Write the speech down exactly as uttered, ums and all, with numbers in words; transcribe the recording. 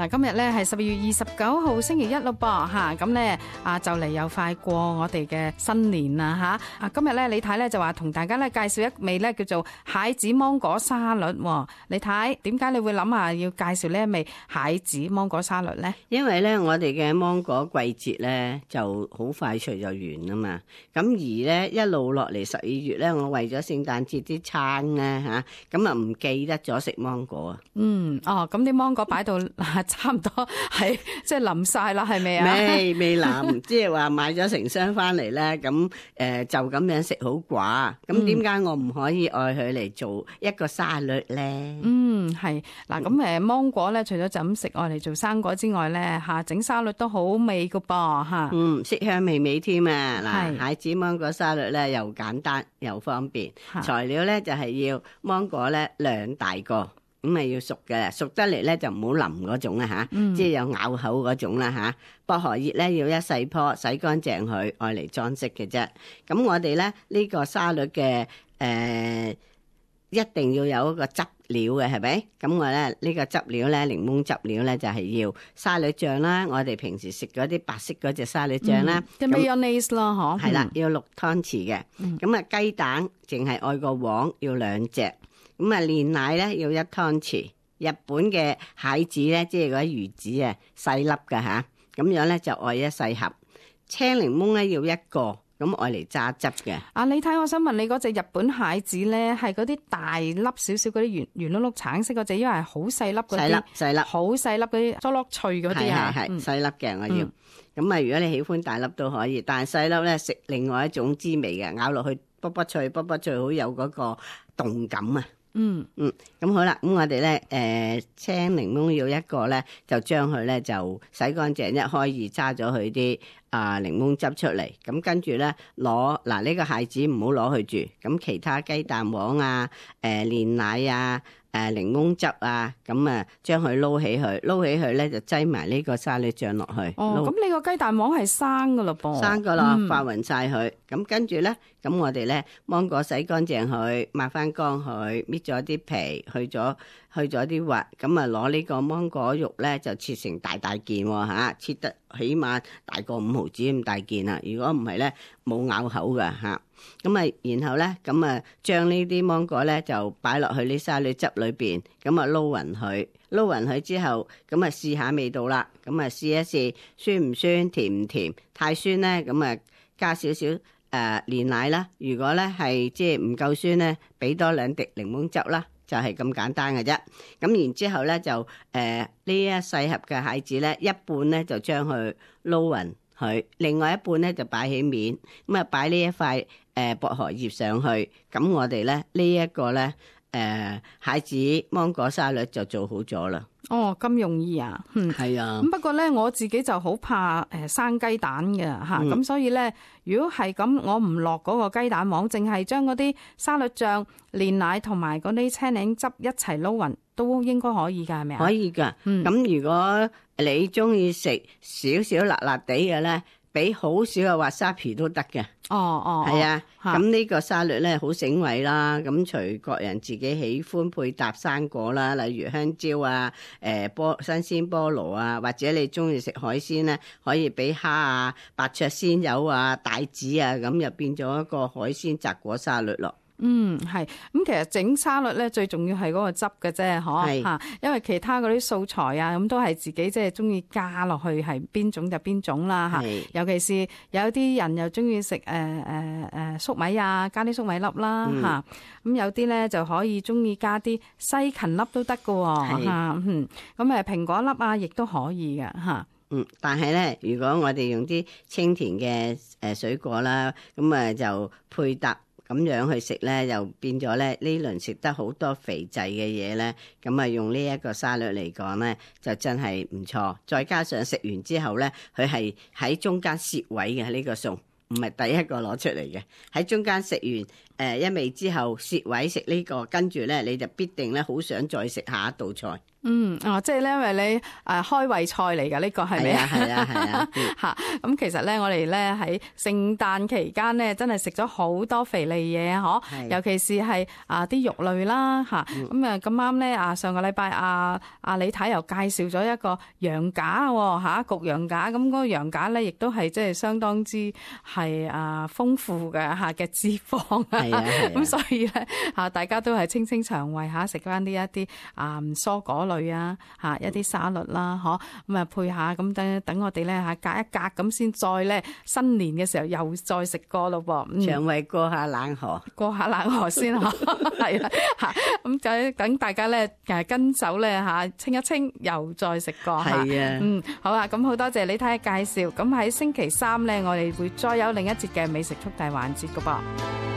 嗱，今日咧係十二月二十九號星期一咯噃嚇，咁咧啊就嚟又快過我哋嘅新年啦嚇！啊今日咧李太咧就話同大家咧介紹一味咧叫做蟹子芒果沙律。李太，點解你會諗下要介紹呢一味蟹子芒果沙律咧？因為咧我哋嘅芒果季節咧就好快脆就完啦嘛，咁而咧一路落嚟十二月咧，我為咗聖誕節啲餐咧嚇，咁啊唔記得咗食芒果啊。嗯，哦，咁啲芒果擺到差唔多係即係淋晒啦，係咪啊？未未淋，即係話買咗成箱翻嚟咧，咁誒就咁樣食好寡。咁點解我唔可以愛佢嚟做一個沙律咧？嗯，係嗱，咁誒芒果咧，除咗就咁食愛嚟做生果之外咧，嚇整沙律都好味噶噃嚇。嗯，色香味美添啊！嗱，蟹子芒果沙律咧又簡單又方便，材料咧就係要芒果咧兩大個。咁咪要熟嘅，熟得嚟咧就唔好腍嗰種啦吓，嗯、即係有咬口嗰種啦吓。薄荷葉咧要一細棵，洗乾淨佢，愛嚟裝飾嘅啫。咁我哋咧呢、呢個沙律嘅誒、呃，一定要有一個汁料嘅，係咪？咁我咧呢、呢個汁料咧，檸檬汁料咧就係、係、要沙律醬啦。我哋平時食嗰啲白色嗰隻沙律醬啦，即係 mayonnaise 咯，嗬。係啦，要六湯匙嘅。咁啊雞蛋淨係愛個黃要兩隻。咁啊，煉奶咧要一湯匙，日本嘅蟹子咧，即係嗰啲魚子啊，細粒㗎吓，咁樣咧就愛一細盒。青檸檬咧要一個，咁愛嚟榨汁嘅。啊，你睇，我想問你嗰隻日本蟹子咧，係嗰啲大粒少少嗰啲圓圓碌碌橙色嗰隻，因為係好細粒嗰啲，細粒細粒，好細粒嗰啲，疏粒脆嗰啲啊，係係細粒嘅我要。咁啊、嗯，如果你喜歡大粒都可以，但係細粒咧食另外一種滋味嘅，咬落去卜卜脆，卜卜脆，好有嗰個動感啊！嗯嗯，咁好啦，咁我哋咧，誒、呃，青檸檬要一個咧，就將佢咧就洗乾淨，一開二揸咗佢啲啊檸檬汁出嚟，咁跟住咧攞嗱呢個蟹子唔好攞去住，咁其他雞蛋黃啊，誒、呃、煉奶啊。誒檸檬汁啊，咁啊將佢撈起佢，撈起佢咧就擠埋呢個沙律醬落去。哦，咁你個雞蛋黃係生噶咯噃？生噶啦，發勻晒佢。咁跟住咧，咁我哋咧芒果洗乾淨佢，抹翻乾佢，搣咗啲皮，去咗去咗啲核，咁啊攞呢個芒果肉咧就切成大大件喎嚇，切得起碼大過五毫子咁大件啊！如果唔係咧冇咬口噶嚇。咁啊，然後咧，咁啊，將呢啲芒果咧就擺落去呢沙律汁裏邊，咁啊撈勻佢，撈勻佢之後，咁啊試下味道啦，咁啊試一試酸唔酸，甜唔甜，太酸咧，咁啊加少少誒煉奶啦。如果咧係即係唔夠酸咧，俾多兩滴檸檬汁啦，就係咁簡單嘅啫。咁然之後咧就誒呢、呃、一細盒嘅蟹子咧，一半咧就將佢撈勻佢，另外一半咧就擺起面，咁啊擺呢一塊。誒薄荷葉上去，咁我哋咧呢一個咧誒蟹子芒果沙律就做好咗啦。哦，咁容易啊？嗯，係啊。咁不過咧，我自己就好怕誒生雞蛋嘅嚇，咁、嗯、所以咧，如果係咁，我唔落嗰個雞蛋黃，淨係將嗰啲沙律醬、煉奶同埋嗰啲青檸汁一齊撈勻，都應該可以㗎，係咪啊？可以㗎。咁、嗯、如果你中意食少少辣辣地嘅咧，俾好少嘅滑沙皮都得嘅。哦哦，係啊，咁呢個沙律咧好醒胃啦，咁隨個人自己喜歡配搭生果啦，例如香蕉啊、誒菠新鮮菠蘿啊，或者你中意食海鮮咧，可以俾蝦啊、白灼鮮魷啊、帶子啊，咁又變咗一個海鮮雜果沙律咯。嗯，係咁，其實整沙律咧最重要係嗰個汁嘅啫，嗬嚇，因為其他嗰啲素材啊，咁都係自己即係中意加落去，係邊種就邊種啦嚇。尤其是有啲人又中意食誒誒誒粟米啊，加啲粟米粒啦嚇。咁、嗯、有啲咧就可以中意加啲西芹粒都得㗎喎嚇。嗯，咁誒蘋果粒啊，亦都可以嘅嚇。嗯，但係咧，如果我哋用啲清甜嘅誒水果啦，咁啊就配搭。咁樣去食咧，又變咗咧呢輪食得好多肥滯嘅嘢咧，咁啊用呢一個沙律嚟講咧，就真係唔錯。再加上食完之後咧，佢係喺中間攝位嘅呢個餸，唔係第一個攞出嚟嘅。喺中間食完誒一味之後攝位食呢個，跟住咧你就必定咧好想再食下一道菜。嗯，哦，即係咧，因為你誒開胃菜嚟㗎，呢個係咪啊？係啊，係啊，嚇！咁其實咧，我哋咧喺聖誕期間咧，真係食咗好多肥膩嘢啊！嗬，尤其是係啊啲肉類啦嚇。咁啊咁啱咧啊，上個禮拜啊啊李太又介紹咗一個羊架喎嚇，焗羊架。咁嗰個羊架咧，亦都係即係相當之係啊豐富嘅嚇嘅脂肪啊。係啊，咁所以咧嚇，大家都係清清腸胃嚇，食翻呢一啲啊蔬果類啊，嚇一啲沙律啦，嗬，咁啊配下，咁等等我哋咧嚇隔一隔，咁先再咧新年嘅時候又再食過咯噃，腸胃過下冷河，過下冷河先嗬，係啦嚇，咁就等大家咧誒跟手咧嚇清一清，又再食過嚇，係啊，嗯，好啊，咁好多謝李太介紹，咁喺星期三咧，我哋會再有另一節嘅美食速遞環節噶噃。